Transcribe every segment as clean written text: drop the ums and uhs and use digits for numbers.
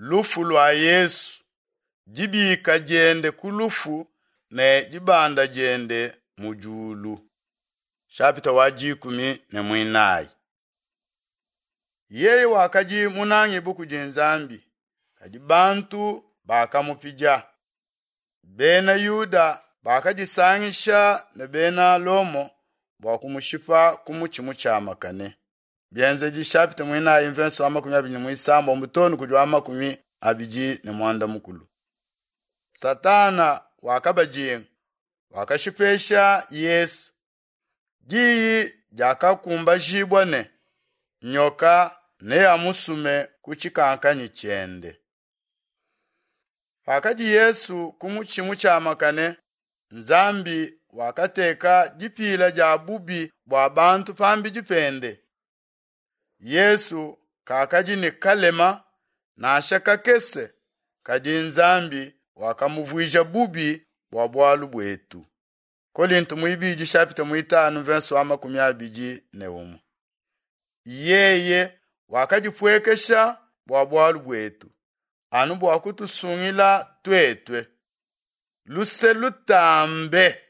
Lufu lua Yesu, dibika diende ku lufu ne dibanda diende mu diulu. Shapita wa 14. Yeye wakadi munangibue kudi Nzambi, kadi bantu bakamupidia. Bena Yuda bakadisangisha ne bena Lomo bua kumushipa ku mutshi mutshiamakane. Bienzedi shapita muinayi mvenso wa 26 too kudi wa 25. Satana wakabajinga, wakashipesha Yesu. Diyi diakakumbajibua ne nyoka neamusume ku tshikankanyi tshiende. Pakadi Yesu ku mutshi mutshiamakane, Nzambi wakateka dipila dia bubi bua bantu pambidi pende. Yesu kakadi ne kalema nansha kakese, kadi Nzambi wakamuvuija bubi bua bualu buetu. Kolinto muibidi shapita muitanu verse wa 21. Yeye wakadipuekesha bua bualu buetu, anu bua kutusungila tuetue. Luse lutambe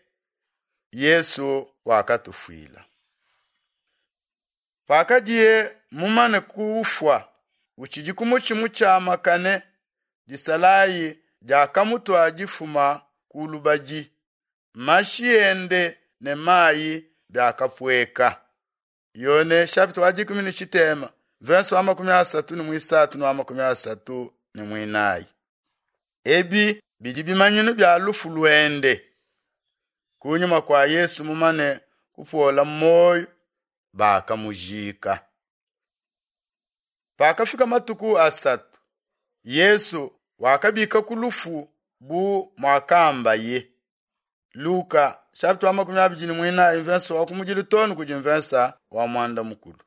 Yesu wakatufuila. Pakadiye mumane kufua, utshidi ku mutshi mutshiamakane, disalayi diakamutua difuma ku lubadi. Mashi ende ne mayi biakapueka. Yone chapitre wa 13 verse wa 33 ne wa 34. Ebi bidi bimanyinu bia lufu luende. Kunyima kua Yesu mumane kupuola muoyo, bakamujika. Pakafika matuku asatu, Yesu wakabika ku lufu bu muakambaye. Luka chapitre wa 24 verse wa kumudilu too kudi mvensa wa mwanda mukulu.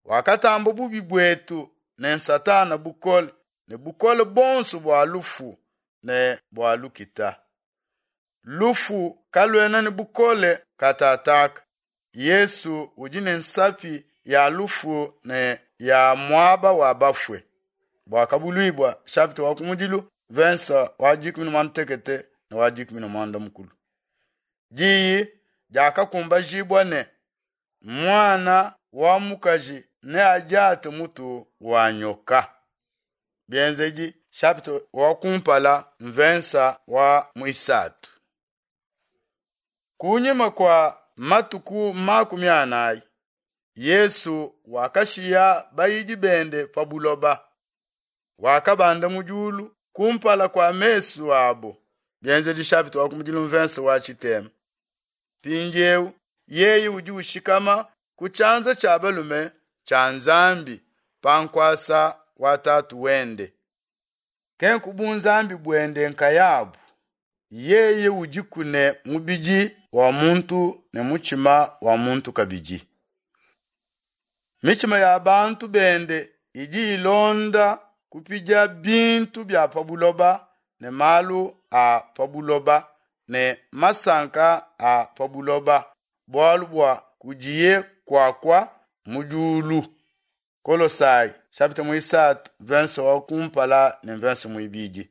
Wakatamba bubi buetu ne Satana bukole ne bukole bonso bua lufu ne bua lukita. Lufu kaluena ne bukole katataka. Yesu udi ne nsapi ya lufu ne ya muaba wa bafue. Bwakabuluibwa chapitre wa kumudilu verse wa 18 ne wa 11. Diyi diakakumbajibua ne mwana wa mukaji neadiate mutu wa nyoka. Bienzedi chapitre wa kumpala mvensa wa muisatu. Kunyima kwa matuku 40, Yesu wakashiya bayidi bende pa buloba. Wakabanda mu diulu kumpala kwa mesu abo. Bienzedi chapitre wa kumudilu mvensa wa tshitema. Mpindieu yeye udi ushikama ku tshianza tshia balume tshia Nzambi pa nkuasa wa tatu wende. Kenku bunzambi buende nkayabu, yeye udiku ne mubidi wa muntu ne mutshima wa muntu kabidi. Mitshima ya bantu bende idi ilonda kupidia bintu bia pa buloba ne malu a pa buloba ne masanka a pa buloba, bualu bua kudiye kuakua mu diulu. Kolosai chapitre muisatu verse wa kumpala ne verse muibidi.